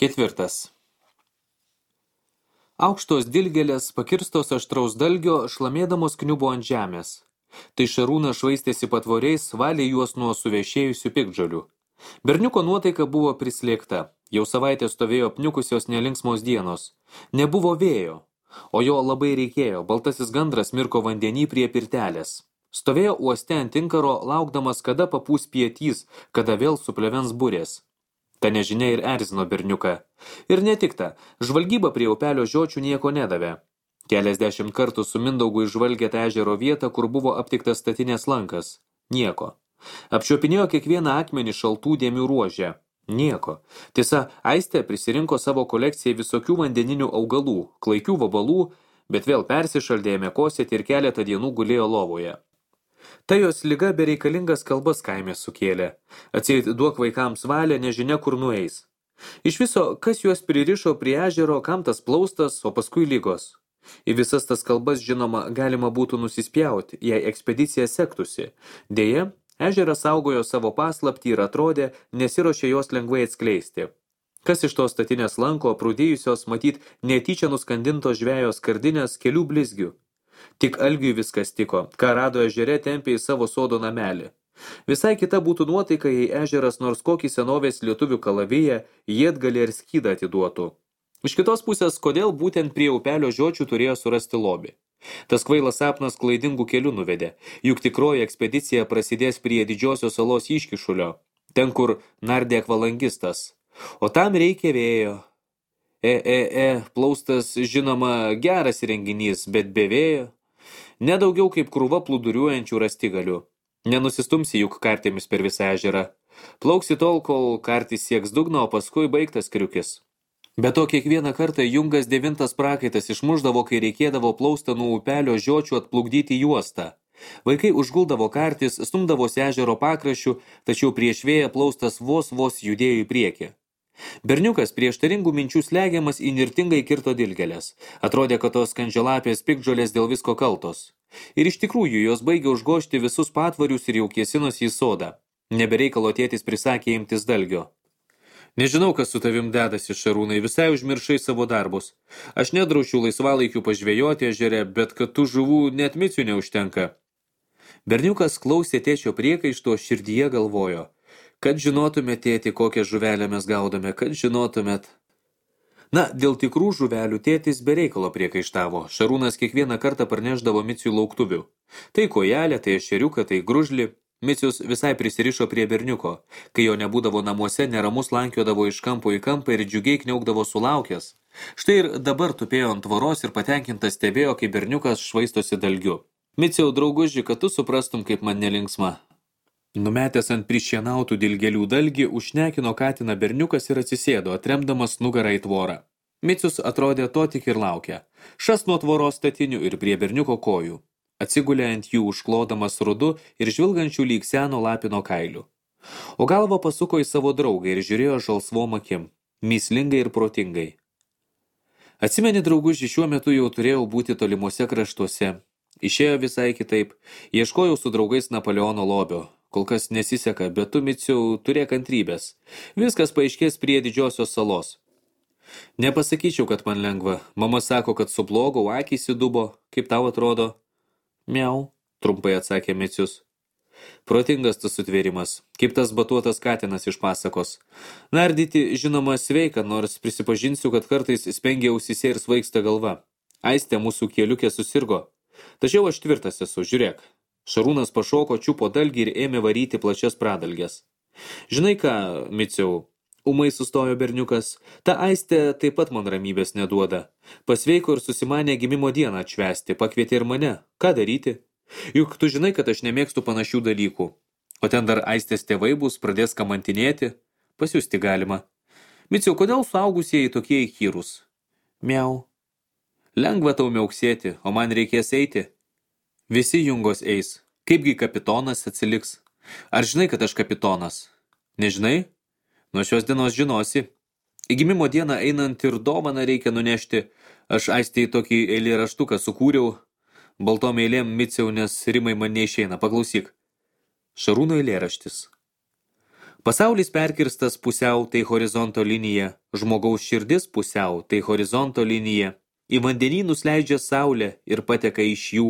4. Aukštos dilgėlės, pakirstos aštraus dalgio, šlamėdamos kniubo ant žemės. Tai Šarūnas švaistėsi patvoriais, valė juos nuo suvešėjusių piktžolių. Berniuko nuotaika buvo prislėgta. Jau savaitę stovėjo apniukusios nelinksmos dienos. Nebuvo vėjo, o jo labai reikėjo. Baltasis gandras mirko vandenį prie pirtelės. Stovėjo uoste ant inkaro, laukdamas, kada papūs pietys, kada vėl suplevens burės. Ta nežinia ir erzino berniuką. Ir ne tik ta, žvalgyba prie upelio žiočių nieko nedavė. Keliasdešimt kartų su Mindaugu išžvalgė tą ežero vietą, kur buvo aptiktas statinės lankas. Nieko. Apčiuopinėjo kiekvieną akmenį šaltų dėmių ruožę. Nieko. Tiesa, Aistė prisirinko savo kolekcijai visokių vandeninių augalų, klaikių vabalų, bet vėl persišaldė, ėmė kosėti ir keletą dienų gulėjo lovoje. Ta jos liga bereikalingas kalbas kaime sukėlė. Atseit duok vaikams valią, nežinia kur nueis. Iš viso, kas juos pririšo prie ežero, kam tas plaustas, o paskui lygos. Į visas tas kalbas, žinoma, galima būtų nusispjauti, jei ekspedicija sektųsi. Deja, ežeras saugojo savo paslaptį ir atrodė, nesiruošė jos lengvai atskleisti. Kas iš tos statinės lanko, prūdėjusios matyt netyčia nuskandintos žvejos skardinės kelių blizgių. Tik Algiui viskas tiko, ką rado ežere tempė į savo sodo namelį. Visai kita būtų nuotaika, jei ežeras nors kokį senovės lietuvių kalaviją, jiedgalį ir skydą atiduotų. Iš kitos pusės, kodėl būtent prie upelio žiočių turėjo surasti lobį? Tas kvailas sapnas klaidingų kelių nuvedė, juk tikroji ekspedicija prasidės prie didžiosios salos iškišulio, ten kur nardė akvalangistas. O tam reikia vėjo. Plaustas, žinoma, geras įrenginys, bet be vėjo. Nedaugiau kaip krūva plūduriuojančių rastigalių. Nenusistumsi juk kartėmis per visą ežerą. Plauksi tol, kol kartis sieks dugno, o paskui baigtas kriukis. Be to kiekvieną kartą Jungas 9 prakaitas išmuždavo, kai reikėdavo plaustą nuo upelio žiočių atplukdyti juostą. Vaikai užguldavo kartis, stumdavosi ežero pakraščių, tačiau prieš vėją plaustas vos judėjo į priekį. Berniukas prieštaringų minčių slegiamas įnirtingai kirto dilgėlės. Atrodė, kad tos skandžialapės piktžolės dėl visko kaltos. Ir iš tikrųjų jos baigė užgožti visus patvarius ir jau kėsinosi į sodą. Nebereikalo tėtis prisakė imtis dalgio. Nežinau, kas su tavim dedasi, Šarūnai, visai užmiršai savo darbus. Aš nedraušiu laisvalaikių pažvejoti ežere, bet kad tų žuvų net micių neužtenka. Berniukas klausė tėčio priekaišto, širdyje galvojo. Kad žinotumėt, tėti, kokią žuvelę mes gaudome, kad žinotumėt. Na, dėl tikrų žuvelių tėtis be reikalo priekaištavo. Šarūnas kiekvieną kartą parneždavo Miciui lauktuvių. Tai kojelė, tai ešeriuką, tai gružlį. Micius visai prisirišo prie berniuko. Kai jo nebūdavo namuose, neramus lankiodavo iš kampo į kampą ir džiugiai kniaukdavo sulaukęs. Štai ir dabar tupėjo ant tvoros ir patenkintas stebėjo, kaip berniukas švaistosi dalgiu. Miciau, drauguži, kad tu suprastum, kaip man nelinksma. Numetęs ant prišienautų dilgėlių dalgį, užšnekino katiną berniukas ir atsisėdo, atremdamas nugarą į tvorą. Micius atrodė to tik ir laukia. Šas nuo tvoros statinių ir prie berniuko kojų. Atsigulė ant jų užklodamas rudu ir žvilgančių lyg seno lapino kailių. O galvą pasuko į savo draugą ir žiūrėjo žalsvom akim, mįslingai ir protingai. Atsimeni, drauguži, šiuo metu jau turėjau būti tolimuose kraštuose. Išėjo visai kitaip. Ieškojau su draugais Napoleono lobio. Kol kas nesiseka, bet tu, Miciau, turėk kantrybės. Viskas paaiškės prie didžiosios salos. Nepasakyčiau, kad man lengva. Mama sako, kad sublogau, akys įdubo. Kaip tau atrodo? Miau, trumpai atsakė Micius. Protingas tas sutvėrimas, kaip tas batuotas katinas iš pasakos. Nardyti, žinoma, sveika, nors prisipažinsiu, kad kartais spengia ausyse ir svaigsta galva. Aistė mūsų keliukė susirgo. Tačiau aš tvirtas esu, žiūrėk. Šarūnas pašoko, čiupo dalgį ir ėmė varyti plačias pradalges. Žinai ką, Miciau, ūmai sustojo berniukas, ta Aistė taip pat man ramybės neduoda. Pasveiko ir susimanė gimimo dieną atšvęsti, pakvietė ir mane. Ką daryti? Juk tu žinai, kad aš nemėgstu panašių dalykų. O ten dar Aistės tėvai bus, pradės kamantinėti. Pasiusti galima. Miciau, kodėl suaugusieji tokie įkyrūs? Miau. Lengva tau miauksėti, o man reikės eiti. Visi Jungos eis. Kaipgi kapitonas atsiliks? Ar žinai, kad aš kapitonas? Nežinai? Nuo šios dienos žinosi. Į gimimo dieną einant ir dovaną reikia nunešti. Aš Aistei tokį eilėraštuką sukūriau. Baltom eilėm, Miciau, nes rimai man neišeina. Paklausyk. Šarūno eilėraštis. Pasaulis perkirstas pusiau, tai horizonto linija, žmogaus širdis pusiau, tai horizonto linija. Į vandenynus leidžia saulė ir pateka iš jų,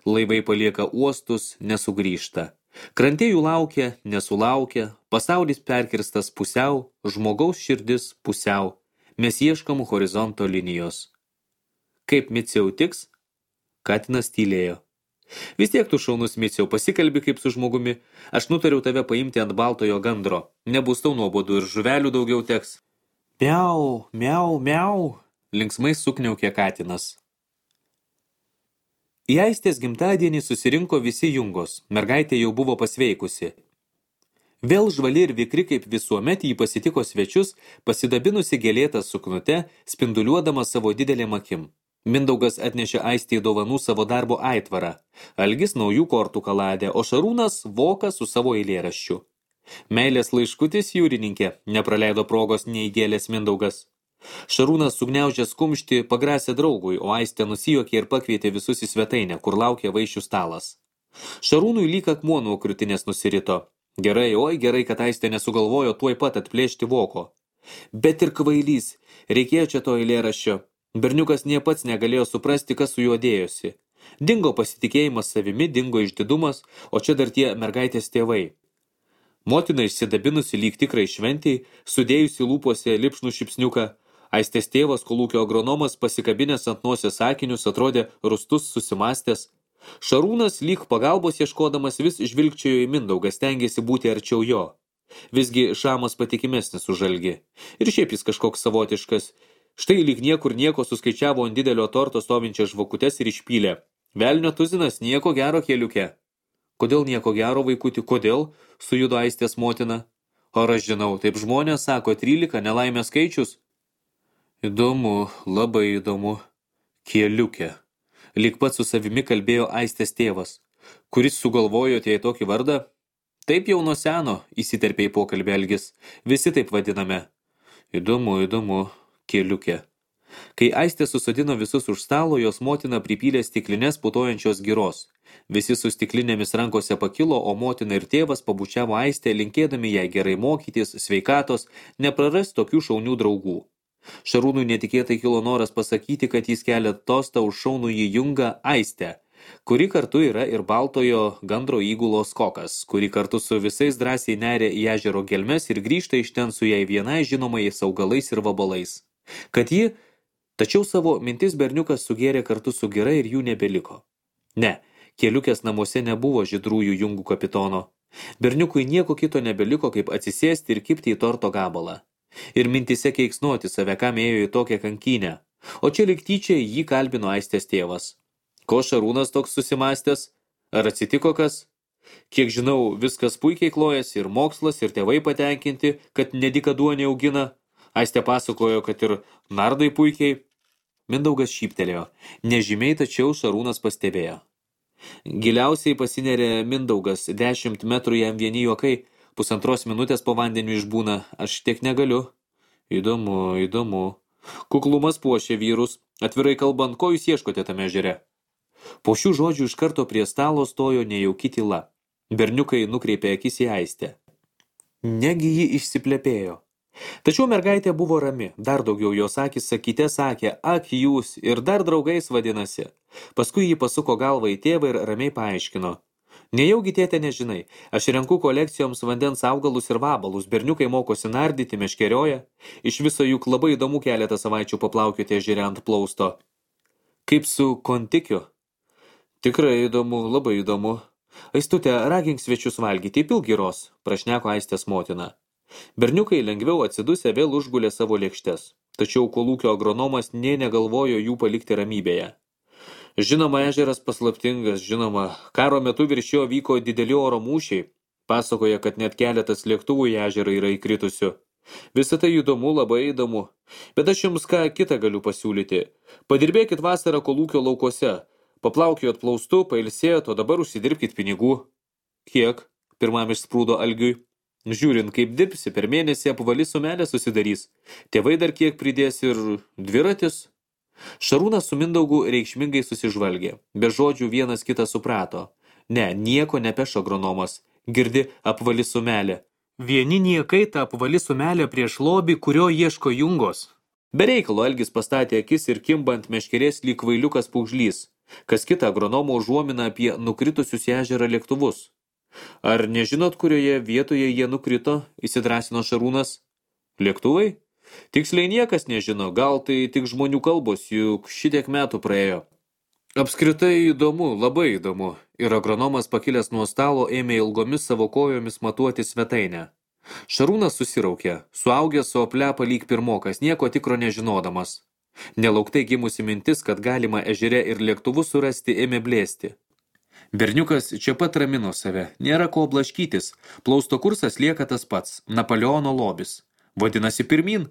laivai palieka uostus, nesugrįžta. Krantė jų laukia, nesulaukia, pasaulis perkirstas pusiau, žmogaus širdis pusiau. Mes ieškom horizonto linijos. Kaip Miciau tiks? Katinas tylėjo. Vis tiek tu šaunus, Miciau, pasikalbi kaip su žmogumi. Aš nutariau tave paimti ant baltojo gandro. Nebus tau nuobodu ir žuvelių daugiau teks. Miau, miau, miau, linksmai sukniaukė katinas. Į Aistės gimtadienį susirinko visi Jungos. Mergaitė jau buvo pasveikusi. Vėl žvali ir vikri kaip visuomet jį pasitiko svečius, pasidabinusi gėlėtą suknute, spinduliuodama savo didelėm akim. Mindaugas atnešė Aistei dovanų savo darbo aitvarą. Algis naujų kortų kaladę, o Šarūnas voką su savo eilėraščiu. Meilės laiškutis, jūrininkė, nepraleido progos neįgėlės Mindaugas. Šarūnas sugniaužęs kumštį pagrasė draugui, o Aistė nusijuokė ir pakvietė visus į svetainę, kur laukė vaišių stalas. Šarūnui lyg akmuo nuo krūtinės nusirito. Gerai, oi gerai, kad Aistė nesugalvojo tuoj pat atplėšti voko. Bet ir kvailys, reikėjo čia to eilėraščio. Berniukas nie pats negalėjo suprasti, kas su juo dėjosi. Dingo pasitikėjimas savimi, dingo išdidumas, o čia dar tie mergaitės tėvai. Motina išsidabinusi lyg tikrai šventei, sudėjusi lūpose lipšnų šipsniuką. Aistės tėvas, kolūkio agronomas, pasikabinęs ant nosės sakinius, atrodė rūstus susimastęs. Šarūnas lyg pagalbos ieškodamas vis žvilgčiojo į Mindaugą, stengėsi būti arčiau jo. Visgi Šamas patikimesnis už Algį. Ir šiaip jis kažkoks savotiškas. Štai lyg niekur nieko suskaičiavo ant didelio torto stovinčias žvakutes ir išpylė. Velnio tuzinas, nieko gero keliuke. Kodėl nieko gero, vaikuti, kodėl? Sujudo Aistės motina. Ar aš žinau, taip žmonės sako, 13 nelaimės skaičius. Įdomu, labai įdomu. Keliukė. Lyg pats su savimi kalbėjo Aistės tėvas. Kuris sugalvojote į tokį vardą? Taip jau nuo seno, įsiterpė į pokalbį Algis. Visi taip vadiname. Įdomu, įdomu. Keliukė. Kai Aistė susodino visus už stalo, jos motina pripylė stiklinės putojančios giros. Visi su stiklinėmis rankose pakilo, o motina ir tėvas pabučiavo Aistę, linkėdami jai gerai mokytis, sveikatos, nepraras tokių šaunių draugų. Šarūnui netikėtai kilo noras pasakyti, kad jis kelia tostą už šaunųjį Jungą Aistę, kuri kartu yra ir baltojo gandro įgulos kokas, kuri kartu su visais drąsiai neria į ežero gelmes ir grįžta iš ten su jai vienai žinomais augalais ir vabalais. Kad ji, tačiau savo mintis berniukas sugėrė kartu su gira ir jų nebeliko. Ne, Keliukės namuose nebuvo žydrųjų Jungų kapitono. Berniukui nieko kito nebeliko, kaip atsisėsti ir kipti į torto gabalą. Ir mintise keiksnuoti save, kam ėjo į tokią kankynę. O čia lyg tyčia jį kalbino Aistės tėvas. Ko Šarūnas toks susimastęs? Ar atsitiko kas? Kiek žinau, viskas puikiai klojasi, ir mokslas, ir tėvai patenkinti, kad nedikaduonį augina. Aistė pasakojo, kad ir nardai puikiai. Mindaugas šyptelėjo. Nežymiai, tačiau Šarūnas pastebėjo. Giliausiai pasinerė Mindaugas, 10 metrų jam vieni juokai, 1,5 minutės po vandeniu išbūna, aš tiek negaliu. Įdomu, įdomu. Kuklumas puošia vyrus, atvirai kalbant, ko jūs ieškote tame ežere? Po šių žodžių iš karto prie stalo stojo nejauki tyla. Berniukai nukreipė akis į Aistę. Negi ji išsiplepėjo. Tačiau mergaitė buvo rami, dar daugiau jos akis sakyte sakė, ak jūs, ir dar draugais vadinasi. Paskui jį pasuko galvą į tėvą ir ramiai paaiškino. Nejaugi tėte nežinai, aš renku kolekcijoms vandens augalus ir vabalus, berniukai mokosi nardyti, meškerioja. Iš viso juk labai įdomu keletą savaičių paplaukioti ežere ant plausto. Kaip su kontikiu? Tikrai įdomu, labai įdomu. Aistute, ragink svečius valgyti, įpilk giros, prašneko Aistės motina. Berniukai lengviau atsidusę vėl užgulė savo lėkštes, tačiau kolūkio agronomas nė negalvojo jų palikti ramybėje. Žinoma, ežeras paslaptingas, žinoma, karo metu virš jo vyko dideli oro mūšiai, pasakoja, kad net keletas lėktuvų į ežerą yra įkritusių. Visa tai įdomu, labai įdomu, bet aš jums ką kitą galiu pasiūlyti. Padirbėkit vasarą kolūkio laukuose, paplaukijot plaustu, pailsėjot, o dabar užsidirbkit pinigų. Kiek? Pirmam išsprūdo Algiui. Žiūrint, kaip dirbsi, per mėnesį apvali sumelė susidarys. Tėvai dar kiek pridės ir dviratis. Šarūnas su Mindaugu reikšmingai susižvalgė. Be žodžių vienas kitą suprato. Ne, nieko nepeš agronomas. Girdi, apvali sumelė. Vieni niekai ta apvali sumelė prieš lobį, kurio ieško Jungos. Bereikalo Algis pastatė akis ir kimba ant meškerės lyg kvailiukas pūgžlys. Kas kita agronomo užuomina apie nukritusius į ežerą lėktuvus. Ar nežinot, kurioje vietoje jie nukrito, įsidrąsino Šarūnas? Lėktuvai? Tiksliai niekas nežino, gal tai tik žmonių kalbos, juk šitiek metų praėjo. Apskritai įdomu, labai įdomu. Ir agronomas pakilęs nuo stalo ėmė ilgomis savo kojomis matuoti svetainę. Šarūnas susiraukė, suaugęs su oplepa lyg pirmokas, nieko tikro nežinodamas. Nelauktai gimusi mintis, kad galima ežere ir lėktuvus surasti, ėmė blėsti. Berniukas čia pat ramino save, nėra ko blaškytis, plausto kursas lieka tas pats, Napoleono lobis. Vadinasi pirmin?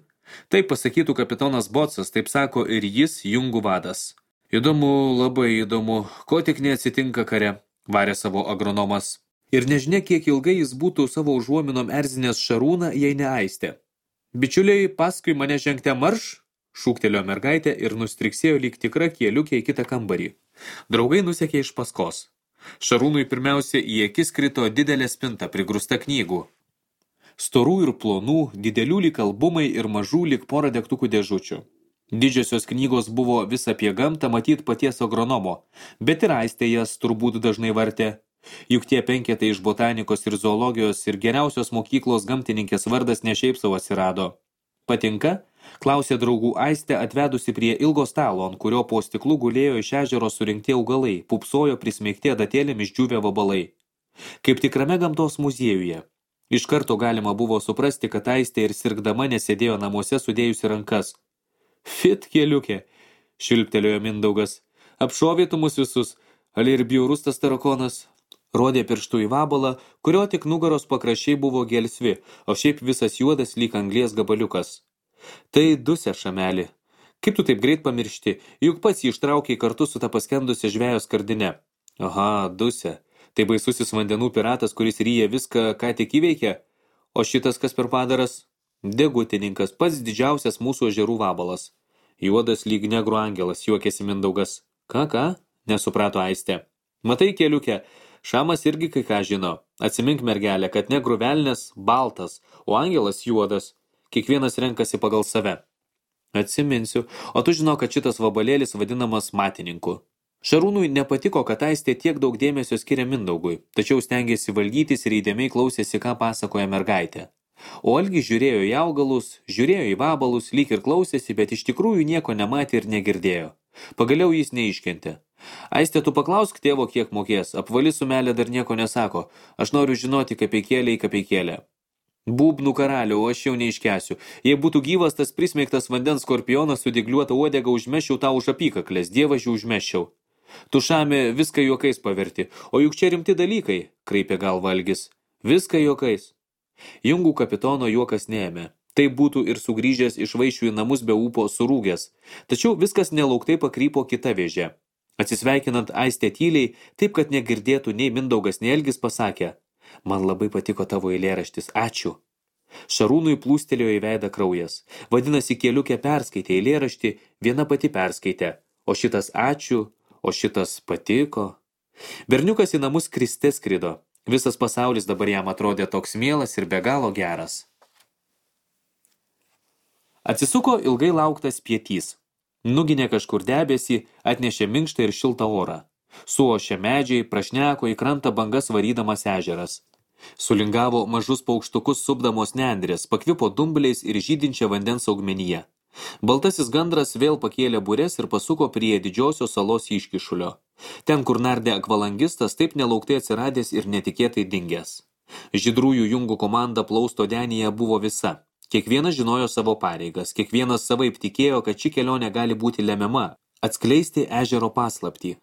Taip pasakytų kapitonas Botsas, taip sako ir jis, Jungų vadas. Įdomu, labai įdomu, ko tik neatsitinka kare, varė savo agronomas. Ir nežinia, kiek ilgai jis būtų savo užuominom erzinės Šarūną, jei ne Aistė. Bičiuliai, paskui mane žengte marš, šūktelėjo mergaitė ir nustriksėjo lyg tikra kieliukė į kitą kambarį. Draugai nusekė iš paskos. Šarūnui pirmiausia į akis krito didelė spinta prigrūsta knygų. Storų ir plonų, didelių lyg albumai ir mažų lyg porą degtukų dėžučių. Didžiosios knygos buvo vis apie gamtą, matyt paties agronomo, bet ir Aistė jas turbūt dažnai vartė. Juk tie penketai iš botanikos ir zoologijos ir geriausios mokyklos gamtininkės vardas ne šiaip savo atsirado. Patinka? Klausė draugų Aistė, atvedusi prie ilgo stalo, ant kurio po stiklu gulėjo iš ežero surinkti augalai, pupsojo prismeigti adatėlėmis džiūvę vabalai. Kaip tikrame gamtos muziejuje. Iš karto galima buvo suprasti, kad Aistė ir sirgdama nesėdėjo namuose sudėjusi rankas. Fit keliukė, švilptelėjo Mindaugas. Apšovėtų mus visus, ali ir bjaurus tas tarakonas. Rodė pirštų į vabalą, kurio tik nugaros pakraščiai buvo gelsvi, o šiaip visas juodas lyg anglies gabaliukas. Tai Dusė, šamelį. Kaip tu taip greit pamiršti, juk pats jį ištraukė kartu su ta paskendusia žvejo skardine. Aha, Dusė. Tai baisusis vandenų piratas, kuris ryja viską, ką tik įveikė. O šitas kas per padaras? Degutininkas, pats didžiausias mūsų ežerų vabalas. Juodas lyg negrų angelas, juokėsi Mindaugas. Ką? Nesuprato Aistė. Matai, keliukė, Šamas irgi kai ką žino. Atsimink, mergelė, kad negrų velnės baltas, o angelas juodas. Kiekvienas renkasi pagal save. Atsiminsiu, o tu žino, kad šitas vabalėlis vadinamas matininku. Šarūnui nepatiko, kad Aistė tiek daug dėmesio skiria Mindaugui, tačiau stengėsi valdytis ir įdėmiai klausėsi, ką pasakoja mergaitė. O Algis žiūrėjo į augalus, žiūrėjo į vabalus, lyg ir klausėsi, bet iš tikrųjų nieko nematė ir negirdėjo. Pagaliau jis neiškentė. Aistė, tu paklausk tėvo, kiek mokės, apvali sumelė dar nieko nesako, aš noriu žinoti kapeikėlę į kapeikėlę. Būbnų karaliau, aš jau neiškęsiu. Jei būtų gyvas tas prismeigtas vandens skorpionas su dygliuota uodega, užmesčiau tau už apykaklės, dievažiu užmesčiau. Tu Šami viską juokais paverti, o juk čia rimti dalykai, kraipė galva Algis. Viską juokais. Jungų kapitono juokas neėmė. Tai būtų ir sugrįžęs iš vaišių į namus be ūpo surūgęs. Tačiau viskas nelauktai pakrypo kita vėžė. Atsisveikinant Aistė tyliai, taip kad negirdėtų nei Mindaugas, nei Algis, pasakė: Man labai patiko tavo eilėraštis, ačiū. Šarūnui plūstelėjo į veidą kraujas. Vadinasi, keliukė perskaitė eilėraštį, viena pati perskaitė. O šitas ačiū, o šitas patiko. Berniukas į namus kriste skrido. Visas pasaulis dabar jam atrodė toks mielas ir be galo geras. Atsisuko ilgai lauktas pietys. Nuginė kažkur debesį, atnešė minkštą ir šiltą orą. Suošė medžiai, prašneko į krantą bangas varydamas ežeras. Sulingavo mažus paukštukus supdamos nendrės, pakvipo dumbliais ir žydinčią vandens augmenyje. Baltasis gandras vėl pakėlė bures ir pasuko prie didžiosios salos iškišulio. Ten, kur nardė akvalangistas, taip nelauktai atsiradęs ir netikėtai dingęs. Žydrųjų Jungų komanda plausto denyje buvo visa. Kiekvienas žinojo savo pareigas, kiekvienas savaip tikėjo, kad ši kelionė gali būti lemiama, atskleisti ežero paslaptį.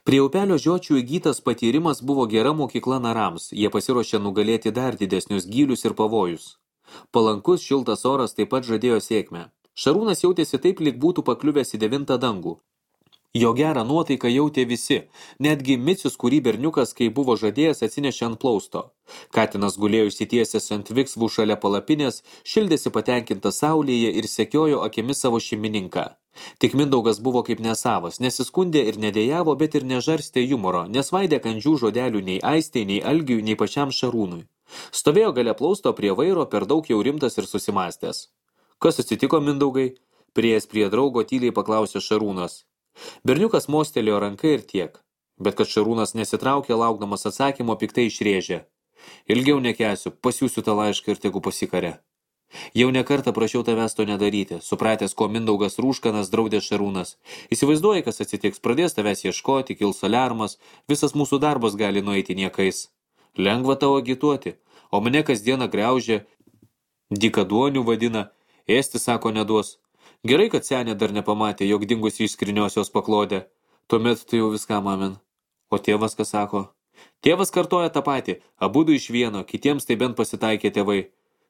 Prie upelio žiočių įgytas patyrimas buvo gera mokykla narams, jie pasiruošė nugalėti dar didesnius gylius ir pavojus. Palankus šiltas oras taip pat žadėjo sėkmę. Šarūnas jautėsi taip, lyg būtų pakliuvęs į 9 dangų. Jo gerą nuotaiką jautė visi, netgi Micius, kurį berniukas, kai buvo žadėjęs, atsinešė ant plausto. Katinas gulėjo išsitiesęs ant viksvų šalia palapinės, šildėsi patenkintas saulėje ir sekiojo akimis savo šeimininką. Tik Mindaugas buvo kaip nesavas, nesiskundė ir nedėjavo, bet ir nežarstė jumoro, nesvaidė kandžių žodelių nei Aistei, nei Algiui, nei pačiam Šarūnui. Stovėjo gale plausto prie vairo, per daug jau rimtas ir susimąstęs. Kas atsitiko, Mindaugai? Priėjęs prie draugo tyliai paklausė Šarūnas. Berniukas mostelėjo ranką ir tiek. Bet kad Šarūnas nesitraukė, laukdamas atsakymo, piktai išrėžė. Ilgiau nekęsiu, pasiųsiu tą laišką ir tegu pasikarė. Jau ne kartą prašiau tavęs to nedaryti, supratęs, ko Mindaugas Rūškanas draudė Šarūnas. Įsivaizduoji, kas atsitiks, pradės tavęs ieškoti, kils aliarmas, visas mūsų darbas gali nueiti niekais. Lengva tavo agituoti, o mane kasdieną griaužė, dykaduonių vadina, ėsti sako neduos. Gerai, kad senė dar nepamatė, jog dingusi iš skrinios jos paklodė. Tuomet tu jau viskam amen. O tėvas ką sako? Tėvas kartoja tą patį, abudu iš vieno, kitiems tai bent pasitaikė tėvai.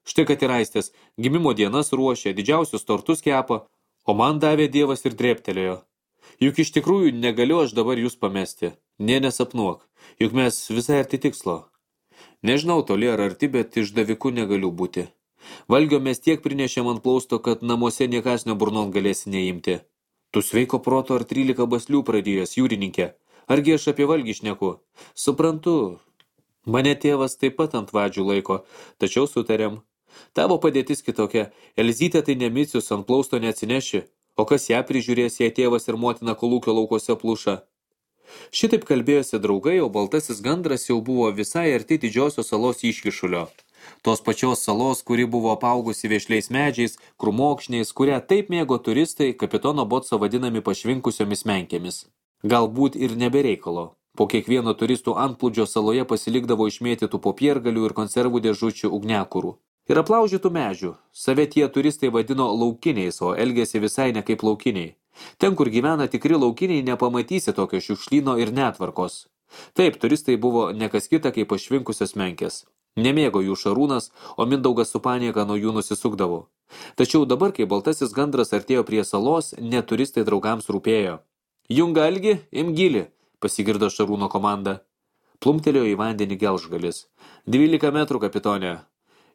Štai kad ir Aistės, gimimo dienas ruošė, didžiausius tortus kepa, o man davė Dievas ir drėptelėjo. Juk iš tikrųjų negaliu aš dabar jūs pamesti. Nesapnuok, juk mes visai arti tikslo. Nežinau toli ar arti, bet išdaviku negaliu būti. Valgio mes tiek prinešėm ant plausto, kad namuose niekas neburnon galėsi neimti. Tu sveiko proto ar 13 baslių pradėjęs, jūrininkė. Argi aš apie valgį šneku? Suprantu. Mane tėvas taip pat ant vadžių laiko, tačiau sutarėm. Tavo padėtis kitokia. Elzytė tai nemicius, ant plausto neatsineši, o kas ją prižiūrės, jei tėvas ir motina kolūkio laukose pluša. Šitaip kalbėjosi draugai, o baltasis gandras jau buvo visai arti didžiosios salos iškišulio. Tos pačios salos, kuri buvo apaugusi vešliais medžiais, krūmokšniais, kurią taip mėgo turistai, kapitono Botso vadinami pašvinkusiomis menkėmis. Galbūt ir nebereikalo. Po kiekvieno turistų antplūdžio saloje pasilikdavo išmėtytų popiergalių ir konservų dėžučių ugniakurų. Ir aplaužytų medžių. Save tie turistai vadino laukiniais, o elgėsi visai ne kaip laukiniai. Ten, kur gyvena tikri laukiniai, nepamatysi tokio šiukšlyno ir netvarkos. Taip, turistai buvo nekas kita kaip pašvinkusios menkės. Nemėgo jų Šarūnas, o Mindaugas su panieka nuo jų nusisukdavo. Tačiau dabar, kai baltasis gandras artėjo prie salos, net turistai draugams rūpėjo. Junga Algi, imgili, pasigirdo Šarūno komanda. Plumtelėjo į vandenį gelžgalis. 12 metrų, kapitonė.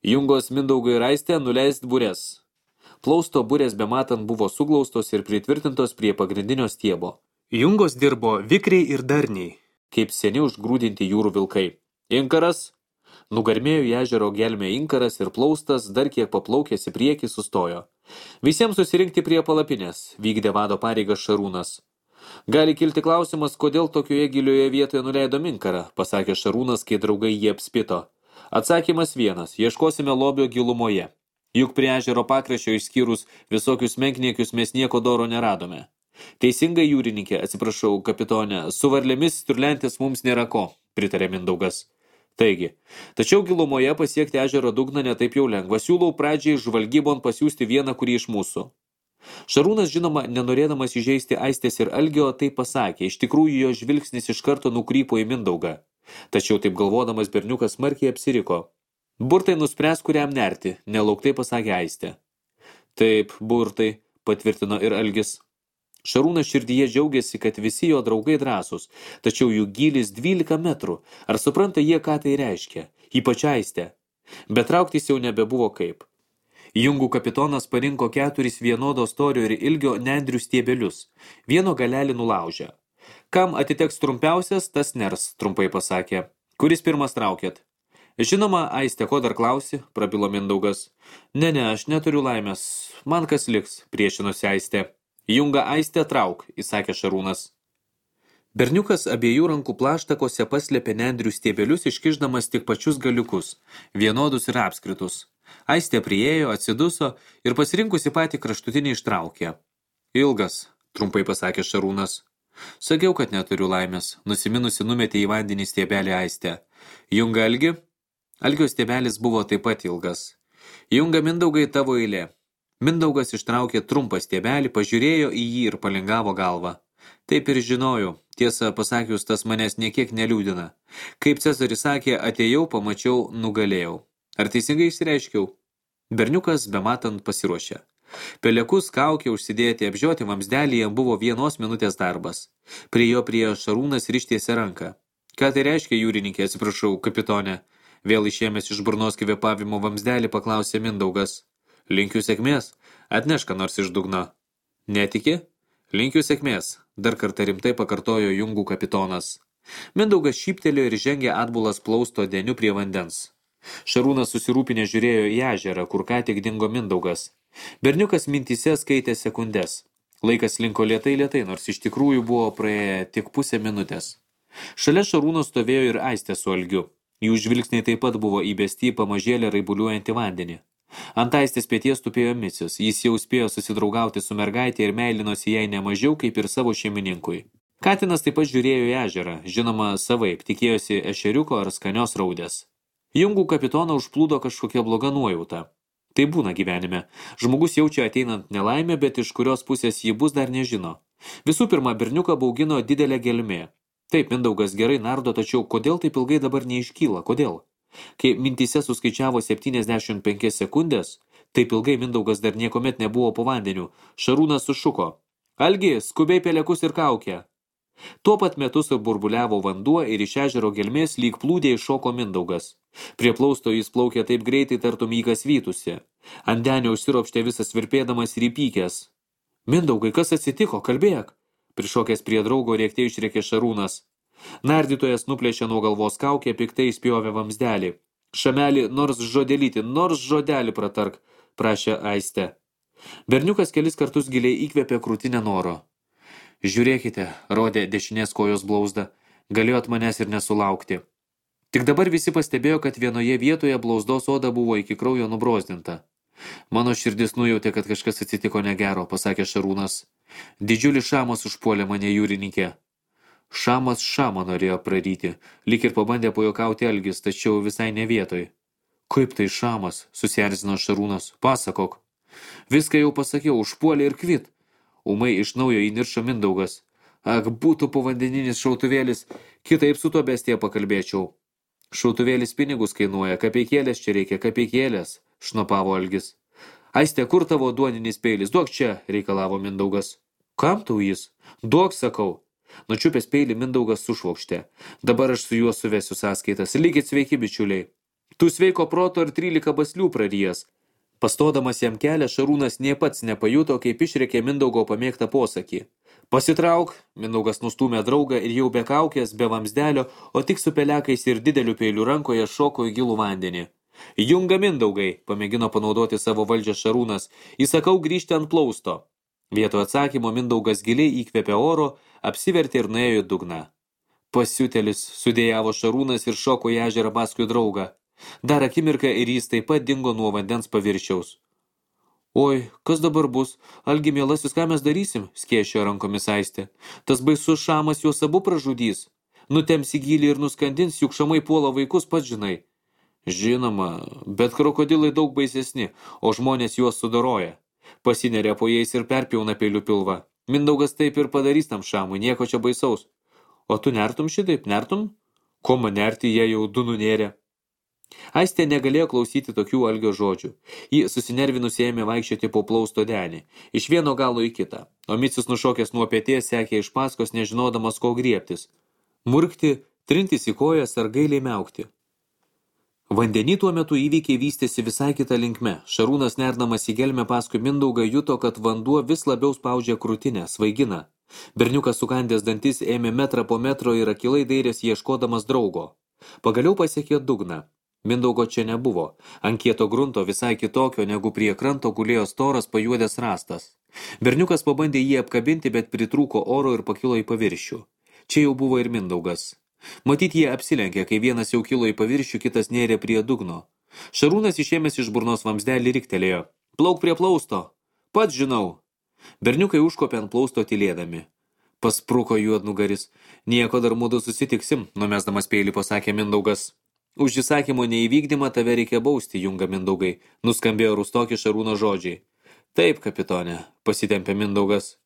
Jungos Mindaugui ir Aistė nuleist burės. Plausto burės bematant buvo suglaustos ir pritvirtintos prie pagrindinio stiebo. Jungos dirbo vikriai ir darniai, kaip seni užgrūdinti jūrų vilkai. Inkaras. Nugarmėjo į ežero gelmę inkaras ir plaustas, dar kiek paplaukęs į priekį, sustojo. Visiems susirinkti prie palapinės, vykdė vado pareigas Šarūnas. Gali kilti klausimas, kodėl tokioje gilioje vietoje nuleido inkarą, pasakė Šarūnas, kai draugai jį apspito. Atsakymas vienas, ieškosime lobio gilumoje. Juk prie ežero pakraščio išskyrus visokius menkniekius mes nieko doro neradome. Teisingai, jūrininkė, atsiprašau, kapitonė, su varlėmis sturlentis mums nėra ko, pritarė Mindaugas. Taigi, tačiau gilumoje pasiekti ežero dugną netaip jau lengva. Siūlau pradžiai žvalgybon pasiųsti vieną kurį iš mūsų. Šarūnas, žinoma, nenorėdamas įžeisti Aistės ir Algio, tai pasakė, iš tikrųjų jo žvilgsnis iš karto nukrypo į Mindaugą. Tačiau taip galvodamas berniukas smarkiai apsiriko. Burtai nuspręs, kuriam nerti, nelauktai pasakė Aistė. Taip, burtai, patvirtino ir Algis. Šarūnas širdyje džiaugiasi, kad visi jo draugai drąsūs, tačiau jų gylis 12 metrų. Ar supranta jie, ką tai reiškia? Ypač Aistė. Bet trauktis jau nebebuvo kaip. Jungų kapitonas parinko 4 vienodo storio ir ilgio nendrių stiebelius. Vieno galelį nulaužė. Kam atiteks trumpiausias, tas ners, trumpai pasakė. Kuris pirmas traukėt? Žinoma, Aistė, ko dar klausi, prabilo Mindaugas. Ne, aš neturiu laimės. Man kas liks, priešinosi Aistė. Junga Aistė trauk, įsakė Šarūnas. Berniukas abiejų rankų plaštakose paslėpė nendrių stiebelius, iškišdamas tik pačius galiukus, vienodus ir apskritus. Aistė priėjo, atsiduso ir pasirinkusi patį kraštutinį ištraukė. Ilgas, trumpai pasakė Šarūnas. Sakiau, kad neturiu laimės, nusiminusi numetė į vandenį stiebelį Aistę. Junga Algi? Algio stiebelis buvo taip pat ilgas. Junga Mindaugai, tavo eilė. Mindaugas ištraukė trumpą stiebelį, pažiūrėjo į jį ir palingavo galvą. Taip ir žinojau, tiesą pasakius, tas manęs niekiek neliūdina. Kaip Cezaris sakė, atėjau, pamačiau, nugalėjau. Ar teisingai išsireiškiau? Berniukas bematant pasiruošė. Pelekus, kaukė užsidėti, apžioti vamsdelį jam buvo 1 minutės darbas. Prie jo Šarūnas ir ištiesė ranką. Ką tai reiškia, jūrininkė, atsiprašau, kapitonė? Vėl išėmęs iš burnos kvėpavimo vamsdelį paklausė Mindaugas. Linkiu sėkmės, atnešk ką nors iš dugno. Netiki? Linkiu sėkmės, dar kartą rimtai pakartojo Jungų kapitonas. Mindaugas šyptelėjo ir žengė atbulas plausto deniu prie vandens. Šarūnas susirūpinę žiūrėjo į ežerą, kur ką tik dingo Mindaugas. Berniukas mintyse skaitė sekundes. Laikas linko lėtai, nors iš tikrųjų buvo praėję tik pusę minutės. Šalia Šarūno stovėjo ir Aistė su Algiu. Jų žvilgsniai taip pat buvo įbesti į pamažėlę raibuliuojantį vandenį. Ant Aistės peties tupėjo Micius, jis jau spėjo susidraugauti su mergaitė ir meilinosi jai nemažiau kaip ir savo šeimininkui. Katinas taip pat žiūrėjo į ežerą, žinoma savaip, tikėjosi ešeriuko ar skanios raudės. Jungų kapitoną užplūdo kažkokia bloga nuojauta. Tai būna gyvenime. Žmogus jaučia ateinant nelaimę, bet iš kurios pusės jį bus dar nežino. Visų pirma, berniuką baugino didelė gelmė. Taip, Mindaugas gerai nardo, tačiau kodėl taip ilgai dabar neiškyla? Kodėl? Kai mintyse suskaičiavo 75 sekundės, taip ilgai Mindaugas dar niekomet nebuvo po vandeniu, Šarūnas sušuko. Algi, skubiai pelekus ir kaukę. Tuo pat metu burbuliavo vanduo ir iš ežero gelmės lyg plūdė iššoko Mindaugas. Prie plausto jis plaukė taip greitai, tartum jį kas vytusi. Ant denio užsiropštė visas virpėdamas ir įpykęs. Mindaugai, kas atsitiko? Kalbėk. Prišokęs prie draugo rėkte išrėkė Šarūnas. Nardytojas nuplėšė nuo galvos kaukę, piktai spjovė vamsdelį. Šamelį, nors žodelį pratark, prašė Aistė. Berniukas kelis kartus giliai įkvėpė krūtinę noro. Žiūrėkite, rodė dešinės kojos blauzdą, galėjot manęs ir nesulaukti. Tik dabar visi pastebėjo, kad vienoje vietoje blauzdos oda buvo iki kraujo nubrozdinta. Mano širdis nujautė, kad kažkas atsitiko negero, pasakė Šarūnas. Didžiulis šamas užpuolė mane jūrininkė. Šamas šamą norėjo praryti, lyg ir pabandė pajuokauti Algis, tačiau visai ne vietoj. Kaip tai šamas, susierzino Šarūnas, pasakok. Viską jau pasakiau, užpuolė ir kvit. Ūmai iš naujo įniršo Mindaugas. Ak, būtų povandeninis šautuvėlis, kitaip su to bestija pakalbėčiau. Šautuvėlis pinigus kainuoja, kapeikėlės čia reikia, kapeikėlės, šnopavo Algis. Aiste, kur tavo duoninis peilis? Duok čia, reikalavo Mindaugas. Kam tau jis? Duok, sakau. Nučiupęs peilį Mindaugas sušvokštė. Dabar aš su juo suvesiu sąskaitas. Likit sveiki, bičiuliai. Tu sveiko proto ir 13 baslių prarijęs. Pastodamas jam kelią, Šarūnas nė pats nepajuto, kaip išrėkė Mindaugo pamėgtą posakį. Pasitrauk, Mindaugas nustūmė draugą ir jau be kaukės, be vamsdelio, o tik su pelekais ir dideliu peiliu rankoje šoko į gilų vandenį. Junga Mindaugai, pamėgino panaudoti savo valdžią Šarūnas, įsakau grįžti ant plausto. Vietoj atsakymo Mindaugas giliai įkvėpė oro, apsivertė ir nuėjo į dugną. Pasiutelis, sudėjavo Šarūnas ir šoko į ežerą paskui draugą. Dar akimirką ir jis taip pat dingo nuo vandens paviršiaus. Oi, kas dabar bus? Algi, mielasis, ką mes darysim? Skėšio rankomis Aistė. Tas baisus šamas juos abu pražudys. Nutems į gylį ir nuskandins, juk šamai puola vaikus, pats žinai. Žinoma, bet krokodilai daug baisesni, o žmonės juos sudoroja. Pasineria po jais ir perpjauna peiliu pilvą. Mindaugas taip ir padarys tam šamui, nieko čia baisaus. O tu nertum šitaip, nertum? Ko man nerti, jie jau du nunėrė. Aistė negalėjo klausyti tokių Algio žodžių. Ji susinervinusi ėmė vaikščioti po plausto denį, iš vieno galo į kitą, o Micius nušokęs nuo peties sekė iš paskos, nežinodamas ko griebtis. Murkti, trintis į kojas ar gailiai miaukti. Vandenį tuo metu įvykiai vystėsi visai kitą linkme. Šarūnas nerdamas į gelmę paskui Mindaugą juto, kad vanduo vis labiau spaudžia krūtinę, svaigina. Berniukas sukandęs dantis ėmė metrą po metro ir akylai dairėsi ieškodamas draugo. Pagaliau pasiekė dugną. Mindaugo čia nebuvo. Ant kieto grunto visai kitokio, negu prie kranto gulėjo storas pajuodęs rąstas. Berniukas pabandė jį apkabinti, bet pritrūko oro ir pakilo į paviršių. Čia jau buvo ir Mindaugas. Matyt, jie apsilenkė, kai vienas jau kilo į paviršių, kitas nėrė prie dugno. Šarūnas išėmęs iš burnos vamsdelį riktelėjo. Plauk prie plausto. Pats žinau. Berniukai užkopė ant plausto tylėdami. Paspruko juodnugaris. Nieko dar mudu susitiksim, numesdamas peilį pasakė Mindaugas. Už įsakymo neįvykdymą tave reikia bausti, junga Mindaugai, nuskambėjo Rustoki Šarūno žodžiai. Taip, kapitone, pasitempė Mindaugas.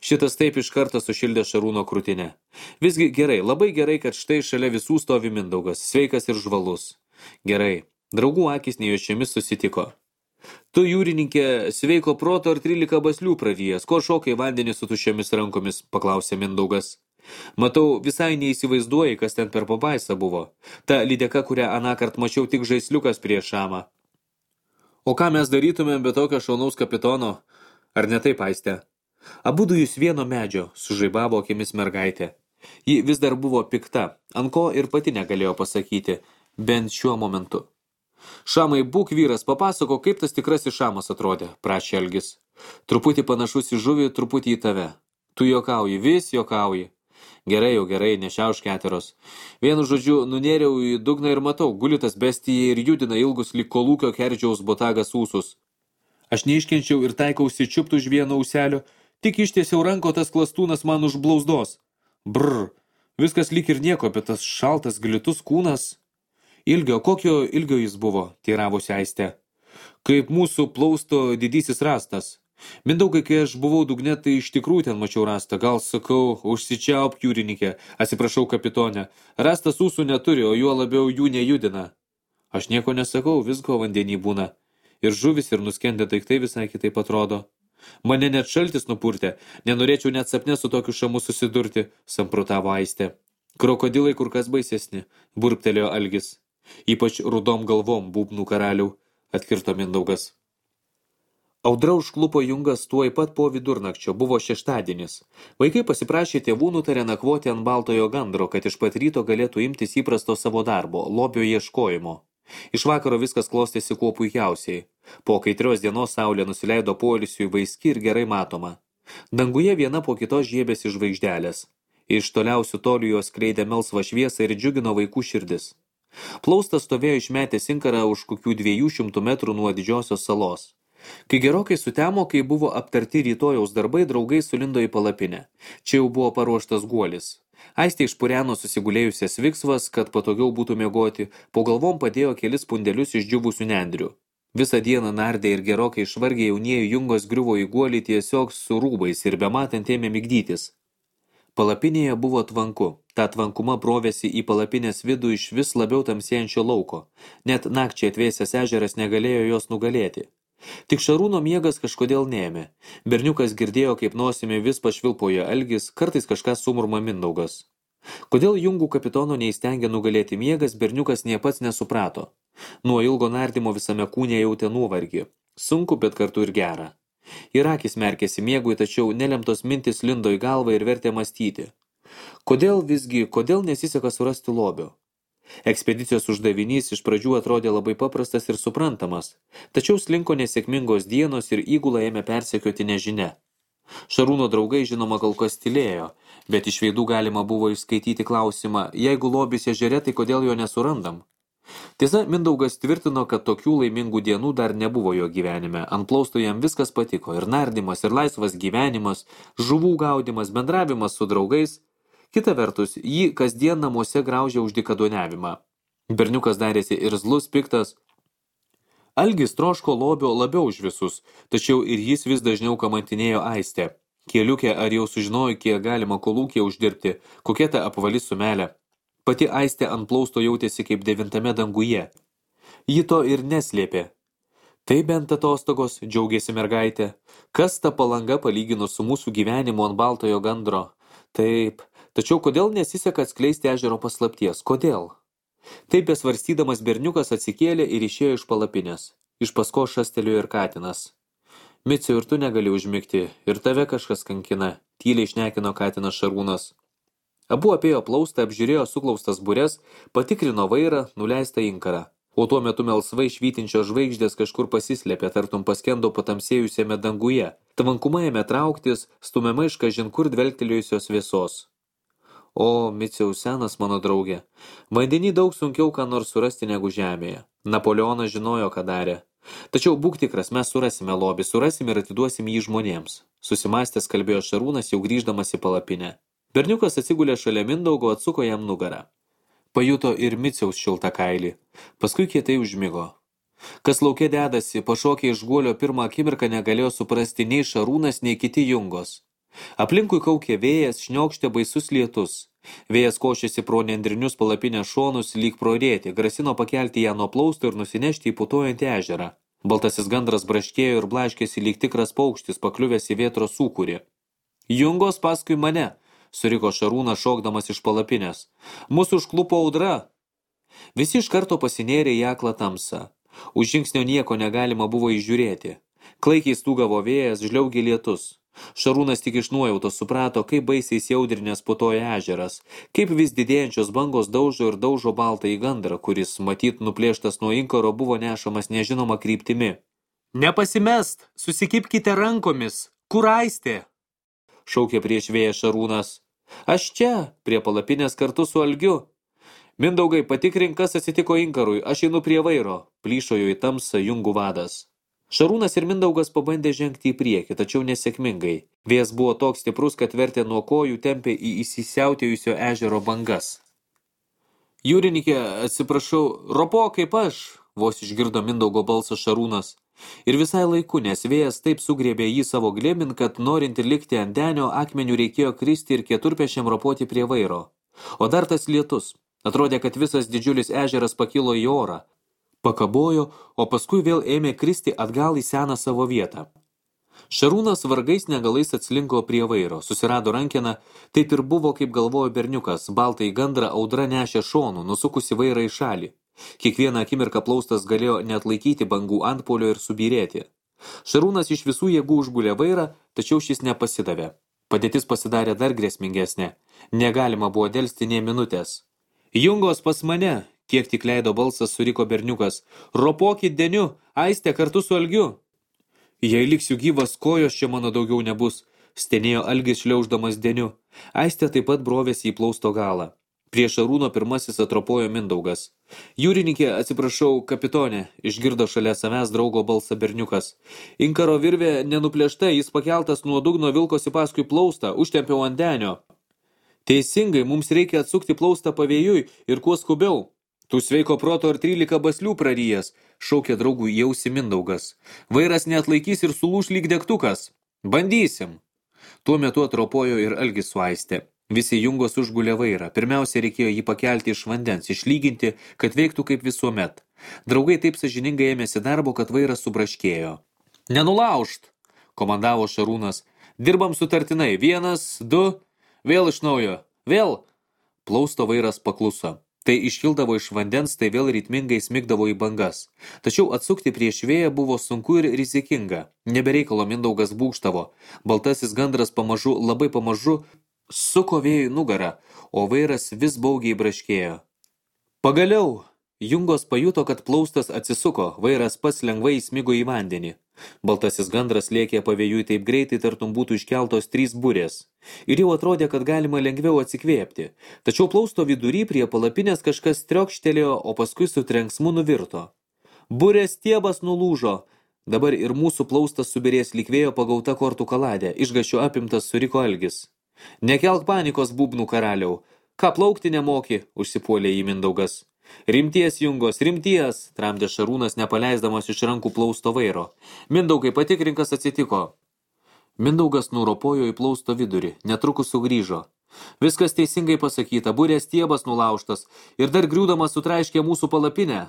Šitas taip iš karto sušildė Šarūno krūtinę. Visgi gerai, labai gerai, kad štai šalia visų stovi Mindaugas, sveikas ir žvalus. Gerai, draugų akis nejučiomis susitiko. Tu, jūrininkė, sveiko proto ar 13 baslių prarijęs, ko šokai vandenį su tuščiomis rankomis, paklausė Mindaugas. Matau, visai neįsivaizduoji, kas ten per pabaisa buvo. Ta lydeka, kurią anąkart mačiau tik žaisliukas prie šamą. O ką mes darytumėm be tokio šaunaus kapitono? Ar ne taip, Aiste? Abudu jūs vieno medžio, sužaibavo akimis mergaitė. Ji vis dar buvo pikta, ant ko ir pati negalėjo pasakyti, bent šiuo momentu. Šamai, būk vyras, papasako, kaip tas tikrasis šamas atrodė, prašė Algis. Truputį panašus į žuvį, truputį į tave. Tu juokauji, vis juokauji. Gerai, jau gerai, nešiauš keteros. Vienu žodžiu, nunėriau į dugną ir matau, guli tas bestija ir judina ilgus lyg kolūkio kerdžiaus botagas ūsus. Aš neiškenčiau ir taikausi čiupti už vieno auselio, tik ištiesiau ranko, tas klastūnas man už blauzdos. Brr, viskas lyg ir nieko, bet tas šaltas glitus kūnas. Ilgio, kokio ilgio jis buvo, teiravosi Aistė. Kaip mūsų plausto didysis rastas. Mindaugai, kai aš buvau dugne, tai iš tikrųjų ten mačiau rastą. Gal sakau, užsičiaup jūrininkė, atsiprašau kapitonė. Rastas ūsų neturi, o juo labiau jų nejudina. Aš nieko nesakau, visko vandenį būna. Ir žuvis, ir nuskendę daiktai visai kitaip atrodo. Mane net šaltis nupurtė, nenorėčiau net sapne su tokiu šamu susidurti, samprotavo Aistė. Krokodilai kur kas baisesni, burptelėjo Algis. Ypač rudom galvom, būbnų karalių, atkirto Mindaugas. Audra užklupo Jungas tuoj pat po vidurnakčio, buvo šeštadienis. Vaikai pasiprašė tėvų, nutarė nakvoti ant baltojo gandro, kad iš pat ryto galėtų imtis įprasto savo darbo, lobio ieškojimo. Iš vakaro viskas klostėsi kuo puikiausiai. Po kaitrios dienos saulė nusileido poilsiui vaiski ir gerai matoma. Danguje viena po kitos žiebėsi žvaigždelės. Iš toliausių tolių jos skleidė melsvą šviesą ir džiugino vaikų širdis. Plaustas stovėjo išmetęs inkarą už kokių 200 metrų nuo didžiosios salos. Kai gerokai sutemo, kai buvo aptarti rytojaus darbai, draugai sulindo į palapinę. Čia jau buvo paruoštas guolis. Aistė išpureno susigulėjusias viksvas, kad patogiau būtų miegoti, po galvom padėjo kelis pundelius išdžiūvusių nendrių. Visą dieną nardė ir gerokai išvargė jaunieji Jungos griuvo į guolį tiesiog su rūbais ir bematant ėmė migdytis. Palapinėje buvo tvanku. Ta tvankuma brovėsi į palapinės vidų iš vis labiau tamsėjančio lauko. Net nakčiai atvėsęs ežeras negalėjo jos nugalėti. Tik Šarūno miegas kažkodėl neėmė. Berniukas girdėjo, kaip nosimi vis pašvilpojo Algis, kartais kažką sumurma Mindaugas. Kodėl Jungų kapitono neįstengė nugalėti miegas, berniukas nie pats nesuprato. Nuo ilgo nardymo visame kūne jautė nuovargį. Sunku, bet kartu ir gera. Ir akis merkėsi miegui, tačiau nelemtos mintis lindo į galvą ir vertė mąstyti. Kodėl nesiseka surasti lobio? Ekspedicijos uždavinys iš pradžių atrodė labai paprastas ir suprantamas, tačiau slinko nesėkmingos dienos ir įgulą ėmė persekioti nežinia. Šarūno draugai žinoma kol kas tylėjo, bet iš veidų galima buvo išskaityti klausimą, jeigu lobis ežere, tai kodėl jo nesurandam? Tiesa, Mindaugas tvirtino, kad tokių laimingų dienų dar nebuvo jo gyvenime. Ant plausto jam viskas patiko, ir nardymas, ir laisvas gyvenimas, žuvų gaudimas, bendravimas su draugais. Kita vertus, jį kasdien namuose graužė už dykaduoniavimą. Berniukas darėsi irzlus, piktas. Algis troško lobio labiau už visus, tačiau ir jis vis dažniau kamantinėjo Aistę. Keliukė, ar jau sužinojo, kiek galima kolūkė uždirbti, kokia ta apvali sumelė. Pati Aistė ant plausto jautėsi kaip 9 danguje. Ji to ir neslėpė. Tai bent atostogos, džiaugėsi mergaitė. Kas ta palanga palyginus su mūsų gyvenimu ant baltojo gandro? Taip, tačiau kodėl nesiseka atskleisti ežero paslapties? Kodėl? Taip besvarstydamas berniukas atsikėlė ir išėjo iš palapinės. Iš paskos šastelėjo ir katinas. Miciau, ir tu negali užmigti, ir tave kažkas kankina, tyliai šnekino katinas Šarūnas. Abu apėjo plaustą, apžiūrėjo suklaustas bures, patikrino vairą, nuleistą inkarą. O tuo metu melsvai švytinčios žvaigždės kažkur pasislėpė, tartum paskendo patamsėjusiame danguje. Tvankuma ėmė trauktis, stumiama iš kažin kur dvelgtelėjusios vėsos. O, Miciau, senas mano draugė, vandenį daug sunkiau ką nors surasti negu žemėje. Napoleonas žinojo, ką darė. Tačiau būk tikras, mes surasime lobį, surasime ir atiduosim jį žmonėms. Susimąstęs kalbėjo Šarūnas, jau grįždamas į palapinę. Berniukas atsigulė šalia Mindaugo, atsuko jam nugarą. Pajuto ir Miciaus šiltą kailį. Paskui kietai užmigo. Kas lauke dedasi, pašokė iš guolio pirmą akimirką negalėjo suprasti nei Šarūnas, nei kiti Jungos. Aplinkui kaukė vėjas, šniokštė baisus lietus. Vėjas košėsi pro nendrinius palapinės šonus lyg pro rėtį, grasino pakelti ją nuo plausto ir nusinešti į putojantį ežerą. Baltasis gandras braškėjo ir blaškėsi lyg tikras paukštis, pakliuvęs į vėtros sūkurį. Jungos paskui mane, suriko Šarūnas šokdamas iš palapinės. Mūsų užklupo audra. Visi iš karto pasinėrė į aklą tamsą. Už žingsnio nieko negalima buvo įžiūrėti. Klaikiai stūgavo vėjas, žliaugė lietus. Šarūnas tik iš nuojautos suprato, kaip baisiai įsiaudrinęs putoja ežeras, kaip vis didėjančios bangos daužo baltą į gandrą, kuris, matyt, nuplėštas nuo inkaro, buvo nešamas nežinoma kryptimi. Nepasimest, susikipkite rankomis, kur Aistė? Šaukė prieš vėją Šarūnas. Aš čia, prie palapinės kartu su Algiu. Mindaugai, patikrink, kas atsitiko inkarui, aš einu prie vairo, plyšojo į tamsą Jungų vadas. Šarūnas ir Mindaugas pabandė žengti į priekį, tačiau nesėkmingai. Vėjas buvo toks stiprus, kad vertė nuo kojų tempė į įsisiautėjusio ežero bangas. Jūrininkė, atsiprašau, ropo kaip aš, vos išgirdo Mindaugo balsą Šarūnas. Ir visai laiku, nes vėjas taip sugriebė jį savo glėbin, kad norint likti ant denio, akmenių reikėjo kristi ir keturpešiam ropoti prie vairo. O dar tas lietus. Atrodė, kad visas didžiulis ežeras pakilo į orą. Pakabojo, o paskui vėl ėmė kristi atgal į seną savo vietą. Šarūnas vargais negalais atslinko prie vairo, susirado rankeną, taip ir buvo, kaip galvojo berniukas, baltą į gandrą audra nešė šonų, nusukusi vairą į šalį. Kiekvieną akimirką plaustas galėjo neatlaikyti bangų antpolio ir subyrėti. Šarūnas iš visų jėgų užgulė vairą, tačiau šis nepasidavė. Padėtis pasidarė dar grėsmingesnė. Negalima buvo delsti nė minutės. Jungos pas mane, kiek tik leido balsas, suriko berniukas. Ropokit deniu, Aistė kartu su Algiu. Jei liksiu gyvas, kojos čia mano daugiau nebus, stenėjo Algis šliauždamas deniu. Aistė taip pat brovėsi į plausto galą. Prie Šarūno pirmasis atropojo Mindaugas. Jūrininkė, atsiprašau, kapitonė, išgirdo šalia savęs draugo balsą berniukas. Inkaro virvė nenuplėšta, jis pakeltas nuo dugno vilkosi paskui plaustą, užtempiau ant denio. Teisingai, mums reikia atsukti plaustą pavėjui ir kuo skubiau. Tu sveiko proto ar 13 baslių praryjas, šaukė draugų į ausį Mindaugas. Vairas neatlaikys ir sulūš lyg degtukas. Bandysim. Tuo metu atropojo ir Algis su Aistė. Visi Jungos užgulė vairą. Pirmiausia, reikėjo jį pakelti iš vandens, išlyginti, kad veiktų kaip visuomet. Draugai taip sąžiningai ėmėsi darbo, kad vairas subraškėjo. Nenulaužt, komandavo Šarūnas. Dirbam sutartinai. 1, 2... Vėl iš naujo. Vėl. Plausto vairas pakluso. Tai iškildavo iš vandens, tai vėl ritmingai smigdavo į bangas. Tačiau atsukti prieš vėją buvo sunku ir rizikinga. Nebereikalo Mindaugas būgštavo. Baltasis gandras pamažu, labai pamažu, suko vėjui nugarą, o vairas vis baugiai braškėjo. Pagaliau! Jungos pajuto, kad plaustas atsisuko, vairas pats lengvai įsmigo į vandenį. Baltasis gandras lėkė pavėjui taip greitai, tartum būtų iškeltos 3 burės. Ir jau atrodė, kad galima lengviau atsikvėpti. Tačiau plausto vidury prie palapinės kažkas triokštelėjo, o paskui su trenksmu nuvirto. Burės stiebas nulūžo. Dabar ir mūsų plaustas subirės lyg vėjo pagauta kortų kaladė, išgašio apimtas suriko Algis. Nekelk panikos, būbnų karaliau. Ką plaukti nemoki, užsipuolė į Mindaugas. Rimties, Jungos, rimties, tramdė Šarūnas, nepaleisdamas iš rankų plausto vairo. Mindaugai, patikrinkas atsitiko. Mindaugas nuropojo į plausto vidurį, netrukus sugrįžo. Viskas teisingai pasakyta, burės stiebas nulaužtas ir dar griūdamas sutraiškė mūsų palapinę.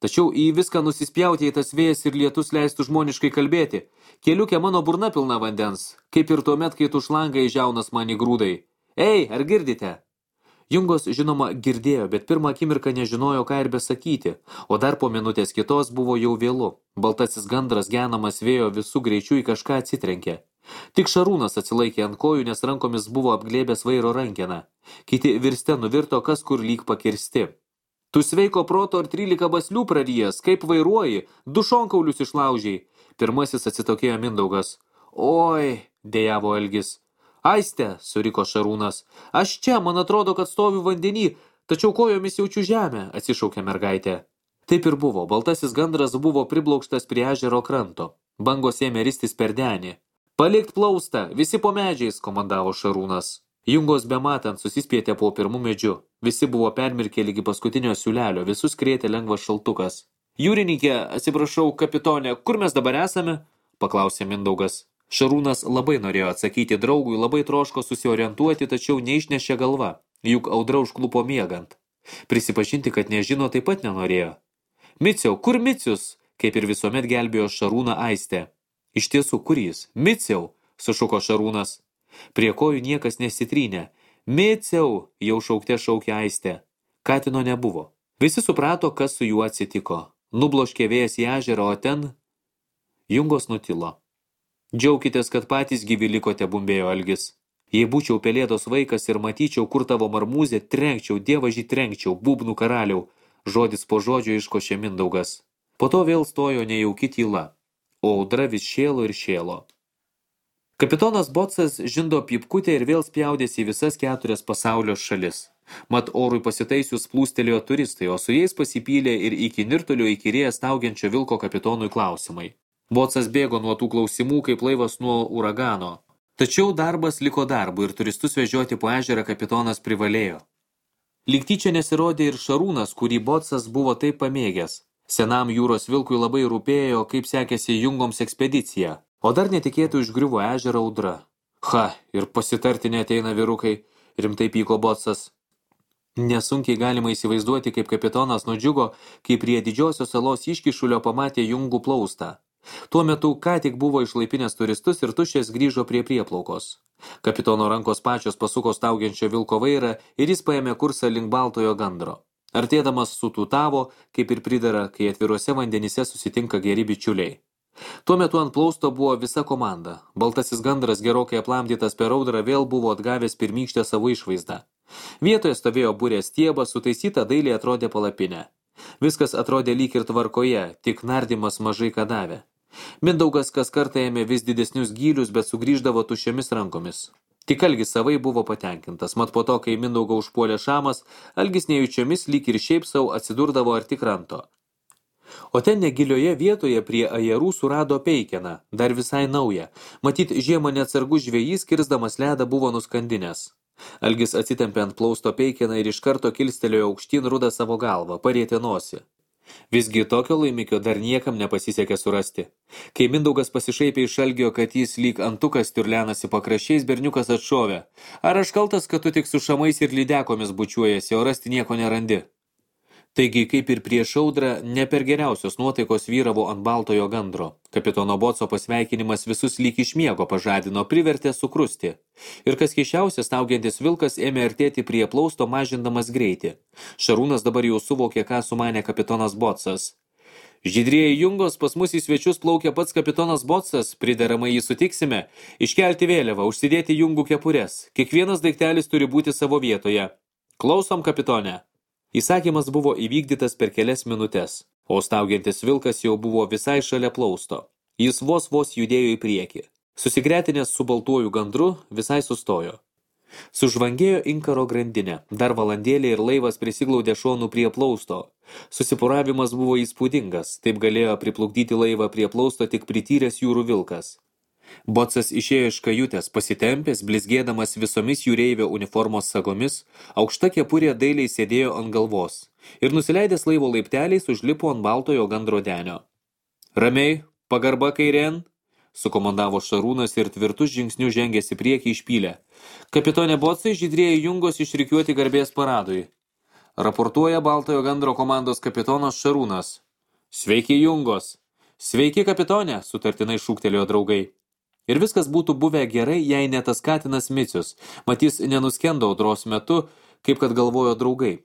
Tačiau į viską nusispjauti, į tas vėjas ir lietus leistų žmoniškai kalbėti. Keliukė mano burna pilna vandens, kaip ir tuomet, kai tu šlangai žiaunas man į grūdai. Ei, ar girdite? Jungos, žinoma, girdėjo, bet pirmą akimirką nežinojo, ką ir besakyti, o dar po minutės kitos buvo jau vėlu. Baltasis gandras genamas vėjo visų greičių į kažką atsitrenkė. Tik Šarūnas atsilaikė ant kojų, nes rankomis buvo apglėbęs vairo rankeną. Kiti virste nuvirto, kas kur lyg pakirsti. Tu sveiko proto ar 13 baslių praryjas, kaip vairuoji, 2 šonkaulius išlaužiai. Pirmasis atsitokėjo Mindaugas. Oi, dejavo Algis. Aistė, suriko Šarūnas. Aš čia, man atrodo, kad stoviu vandenį, tačiau kojomis jaučiu žemę, atsišaukė mergaitė. Taip ir buvo, baltasis gandras buvo priblokštas prie ežero kranto. Bangos ėmė ristis per denį. Palikt plaustą, visi po medžiais, komandavo Šarūnas. Jungos bematant susispietė po pirmų medžių. Visi buvo permirkę lygi paskutinio siūlelio, visus krėtė lengvas šaltukas. Jūrininkė, atsiprašau, kapitonė, kur mes dabar esame? Paklausė Mindaugas. Šarūnas labai norėjo atsakyti draugui, labai troško susiorientuoti, tačiau neišnešė galva, juk audra užklupo miegant. Prisipažinti, kad nežino, taip pat nenorėjo. Miciau, kur Micius? Kaip ir visuomet gelbėjo Šarūną Aistė. Iš tiesų, kur jis? Miciau, sušuko Šarūnas. Prie kojų niekas nesitrynė. Miciau, jau šaukte šaukė Aistė. Katino nebuvo. Visi suprato, kas su juo atsitiko. Nubloškė vėjas į ežerą, o ten... Jungos nutilo. Džiaukitės, kad patys gyvi likote, bumbėjo Algis. Jei būčiau pelėdos vaikas ir matyčiau, kur tavo marmūzė, trenkčiau, dievažį trenkčiau, būbnų karaliau, žodis po žodžio iškošė Mindaugas. Po to vėl stojo nejauki tyla, o audra vis šėlo ir šėlo. Kapitonas Botsas žindo pypkutę ir vėl spjaudėsi į visas 4 pasaulio šalis. Mat orui pasitaisius plūstelėjo turistai, o su jais pasipylė ir iki nirtulio įkyrėję staugiančio vilko kapitonui klausimai. Botsas bėgo nuo tų klausimų kaip laivas nuo uragano. Tačiau darbas liko darbu ir turistus vežioti po ežerą kapitonas privalėjo. Lyg tyčia nesirodė ir Šarūnas, kurį Botsas buvo taip pamėgęs. Senam jūros vilkui labai rūpėjo, kaip sekėsi Jungoms ekspedicija, o dar netikėtų išgriuvo ežerą audra. Ha, ir pasitarti neateina vyrukai, rimtai pyko Botsas. Nesunkiai galima įsivaizduoti, kaip kapitonas nudžiugo, kai prie didžiosios salos iškišulio pamatė Jungų plaustą. Tuo metu ką tik buvo išlaipinęs turistus ir tuščias grįžo prie prieplaukos. Kapitono rankos pačios pasuko staugiančio vilko vairą ir jis paėmė kursą link Baltojo gandro. Artėdamas sutūtavo, kaip ir pridera, kai atviruose vandenyse susitinka geri bičiuliai. Tuo metu ant plausto buvo visa komanda. Baltasis gandras, gerokai aplamdytas per audrą, vėl buvo atgavęs pirmykštę savo išvaizdą. Vietoje stovėjo burės stiebas, sutaisyta dailiai atrodė palapinė. Viskas atrodė lyg ir tvarkoje, tik nardymas mažai ką davė. Mindaugas kas kartą ėmė vis didesnius gylius, bet sugrįždavo tuščiomis rankomis. Tik Algis savai buvo patenkintas, mat po to, kai Mindaugą užpuolė šamas, Algis nejučiomis lyg ir šiaip savo atsidurdavo arti kranto. O ten negilioje vietoje prie ajerų surado peikeną, dar visai naują. Matyt, žiemą neatsargus žvejys, kirsdamas ledą, buvo nuskandinęs. Algis atsitempė ant plausto peikeną ir iš karto kilstelėjo aukštyn rudą savo galvą, parietė nosį. Visgi tokio laimikio dar niekam nepasisekė surasti. Kai Mindaugas pasišaipė iš Algio, kad jis lyg antukas tirlenasi pakraščiais, berniukas atšovė. Ar aš kaltas, kad tu tik su šamais ir lydekomis bučiuojasi, o rasti nieko nerandi? Taigi, kaip ir prieš audrą, ne per geriausios nuotaikos vyravo ant Baltojo gandro. Kapitono Botso pasveikinimas visus lyg iš miego pažadino, privertė sukrusti. Ir kas keisčiausia, staugiantis vilkas ėmė artėti prie plausto, mažindamas greitį. Šarūnas dabar jau suvokė, ką sumanė kapitonas Botsas. Žydrieji Jungos, pas mus į svečius plaukia pats kapitonas Botsas, prideramai jį sutiksime, iškelti vėliavą, užsidėti Jungų kepures. Kiekvienas daiktelis turi būti savo vietoje. Klausom, kapitone. Įsakymas buvo įvykdytas per kelias minutes, o staugiantis vilkas jau buvo visai šalia plausto. Jis vos judėjo į priekį. Susigretinęs su baltuoju gandru, visai sustojo. Sužvangėjo inkaro grandinė, dar valandėlė ir laivas prisiglaudė šonų prie plausto. Susipuravimas buvo įspūdingas, taip galėjo priplukdyti laivą prie plausto tik prityręs jūrų vilkas. Botsas išėjo iš kajutės, pasitempęs, blizgėdamas visomis jūreivio uniformos sagomis, aukšta kepurė dailiai sėdėjo ant galvos ir nusileidęs laivo laipteliais užlipo ant Baltojo gandro denio. Ramiai, pagarba kairėn, sukomandavo Šarūnas ir tvirtus žingsnius žengėsi priekį išpylę. Kapitone Botsai, žydrieji Jungos išrikiuoti garbės paradui. Raportuoja Baltojo gandro komandos kapitonas Šarūnas. Sveiki, Jungos. Sveiki, kapitone, sutartinai šūktelėjo draugai. Ir viskas būtų buvę gerai, jei ne tas katinas Micius, matys nenuskendo audros metu, kaip kad galvojo draugai.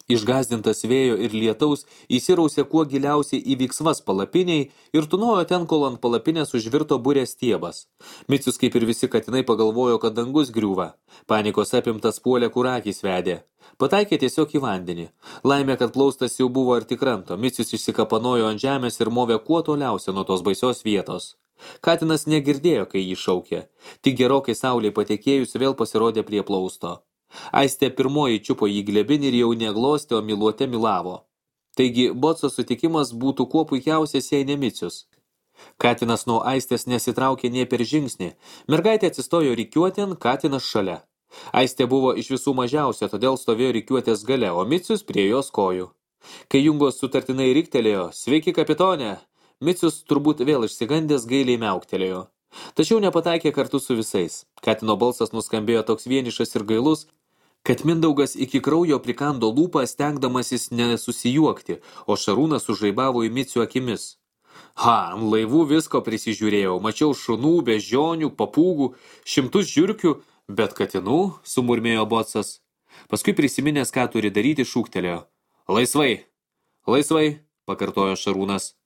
Išgazdintas vėjo ir lietaus, įsirausė kuo giliausiai į viksvas palapiniai ir tunojo ten, kol ant palapinės užvirto burės stiebas. Micius, kaip ir visi katinai, pagalvojo, kad dangus griūva. Panikos apimtas puolė, kur akys vedė. Pataikė tiesiog į vandenį. Laimė, kad plaustas jau buvo arti kranto. Micius išsikapanojo ant žemės ir movė kuo toliausia nuo tos baisios vietos. Katinas negirdėjo, kai jį šaukė. Tik gerokai saulei patekėjus vėl pasirodė prie plausto. Aistė pirmoji čiupo jį glebin ir jau neglostė, o miluote milavo. Taigi, Botso sutikimas būtų kuo puikiausias, jei ne Micius. Katinas nuo Aistės nesitraukė nė per žingsnį. Mergaitė atsistojo rikiuotėn, katinas šalia. Aistė buvo iš visų mažiausia, todėl stovėjo rikiuotės gale, o Micius prie jos kojų. Kai Jungos sutartinai riktelėjo, sveiki, kapitone, Micius turbūt vėl išsigandęs gailiai miauktelėjo. Tačiau nepataikė kartu su visais. Katino balsas nuskambėjo toks vienišas ir gailus, kad Mindaugas iki kraujo prikando lūpą, stengdamasis nesusijuokti, o Šarūnas sužaibavo į Micių akimis. Ant laivų visko prisižiūrėjau, mačiau šunų, beždžionių, papūgų, šimtus žiurkių, bet katinų, sumurmėjo Botsas. Paskui prisiminęs, ką turi daryti, šūktelėjo. Laisvai, pakartojo Šarūnas.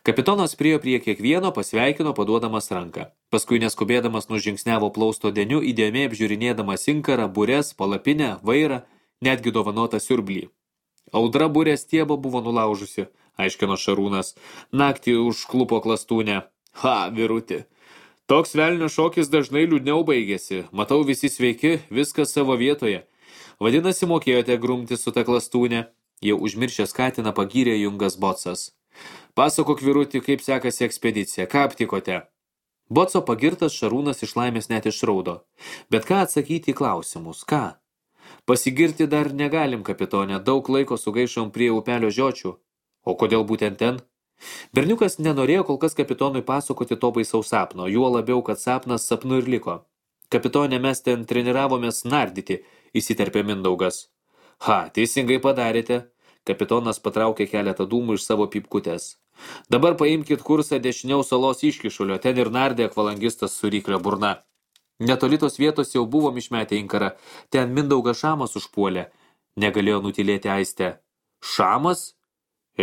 Kapitonas priėjo prie kiekvieno, pasveikino, paduodamas ranką. Paskui neskubėdamas nužingsniavo plausto deniu, įdėmiai apžiūrinėdamas inkarą, bures, palapinę, vairą, netgi dovanotą siurblį. Audra burės stiebą buvo nulaužusi, aiškino Šarūnas. Naktį užklupo klastūnę. Ha, vyruti. Toks velnio šokis dažnai liūdniau baigėsi. Matau, visi sveiki, viskas savo vietoje. Vadinasi, mokėjote grumti su ta klastūnė. Jau užmiršęs katiną pagyrė Jungas Bocas. Pasakok, vyruti, kaip sekasi ekspedicija, ką aptikote? Boco pagirtas Šarūnas iš laimės net išraudo. Bet ką atsakyti į klausimus, ką? Pasigirti dar negalim, kapitone, daug laiko sugaišom prie upelio žiočių. O kodėl būtent ten? Berniukas nenorėjo kol kas kapitonui pasakoti to baisaus sapno, juo labiau, kad sapnas sapnu ir liko. Kapitone, mes ten treniravomės nardyti, įsiterpė Mindaugas. Ha, teisingai padarėte. Kapitonas patraukė keletą dūmų iš savo pypkutės. Dabar paimkit kursą dešiniau salos iškišulio, ten ir nardė akvalangistas su ryklio burna. Netoli tos vietos jau buvom išmetę inkarą, ten Mindaugas Šamas užpuolė. Negalėjo nutilėti Aistė. Šamas?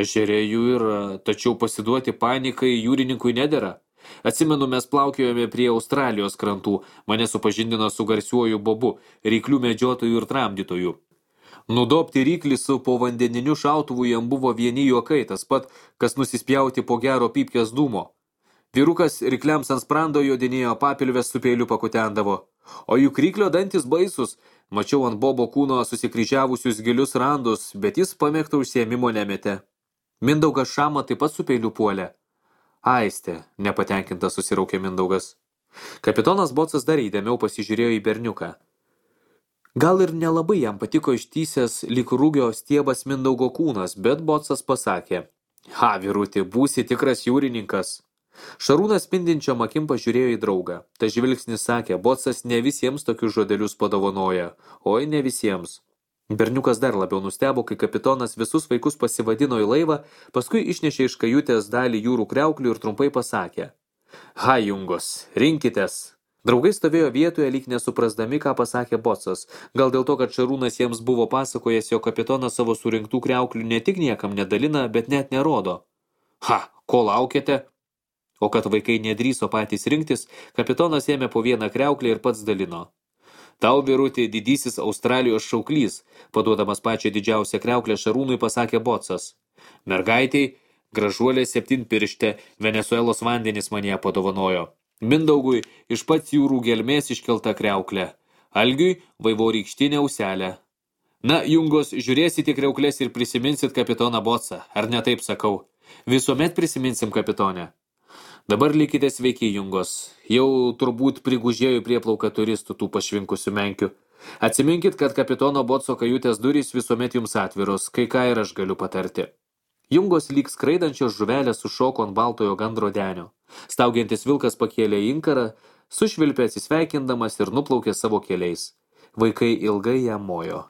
Ežerė jų yra, tačiau pasiduoti panikai jūrininkui nedera. Atsimenu, mes plaukiojome prie Australijos krantų, mane supažindino su garsiuoju Bobu, ryklių medžiotojų ir tramdytojų. Nudobti ryklį su povandeniniu šautuvu jam buvo vieni juokai, tas pat, kas nusispjauti po gero pypkės dūmo. Vyrukas rykliams ant sprando jodinėjo, papilvės su peiliu pakutendavo. O juk ryklio dantis baisus, mačiau ant Bobo kūno susikryžiavusius gilius randus, bet jis pamėgto užsiėmimo nemetė. Mindaugas Šamą taip pat su peiliu puolė. Aistė, nepatenkintas susiraukė Mindaugas. Kapitonas Bocas dar įdėmiau pasižiūrėjo į berniuką. Gal ir nelabai jam patiko ištysęs lyg rūgio stiebas Mindaugo kūnas, bet Bocas pasakė. Ha, vyruti, būsi tikras jūrininkas. Šarūnas spindinčiom akim pažiūrėjo į draugą. Ta žvilgsnis sakė, Bocas ne visiems tokius žodelius padovanoja. Oi, ne visiems. Berniukas dar labiau nustebo, kai kapitonas visus vaikus pasivadino į laivą, paskui išnešė iš kajutės dalį jūrų kriauklių ir trumpai pasakė. Ha, Jungos, rinkitės. Draugai stovėjo vietoje, lyg nesuprasdami, ką pasakė Bocas. Gal dėl to, kad Šarūnas jiems buvo pasakojęs, jo kapitonas savo surinktų kriauklių ne tik niekam nedalina, bet net nerodo. Ha, ko laukiate? O kad vaikai nedrįso patys rinktis, kapitonas ėmė po vieną kriauklį ir pats dalino. Tau, vyruti, didysis Australijos šauklys, paduodamas pačią didžiausią kriauklę Šarūnui pasakė Bocas. Mergaitei, gražuolė 7-pirštė, Venesuelos vandenis man ją padovanojo. Mindaugui iš pats jūrų gelmės iškelta kriauklė. Algiui vaivorykštinė auselė. Na, Jungos, žiūrėsite kriauklės ir prisiminsit kapitoną Bocą, ar ne taip sakau? Visuomet prisiminsim kapitonę. Dabar likite sveiki, Jungos. Jau turbūt prigužėjo prieplauką turistų tų pašvinkusių menkių. Atsiminkit, kad kapitono Boco kajutės durys visuomet jums atviros, kai ką ir aš galiu patarti. Jungos lyg skraidančios žuvelės sušoko ant baltojo gandro denio. Staugiantis vilkas pakėlė inkarą, sušvilpė atsisveikindamas ir nuplaukė savo keliais. Vaikai ilgai jam mojo.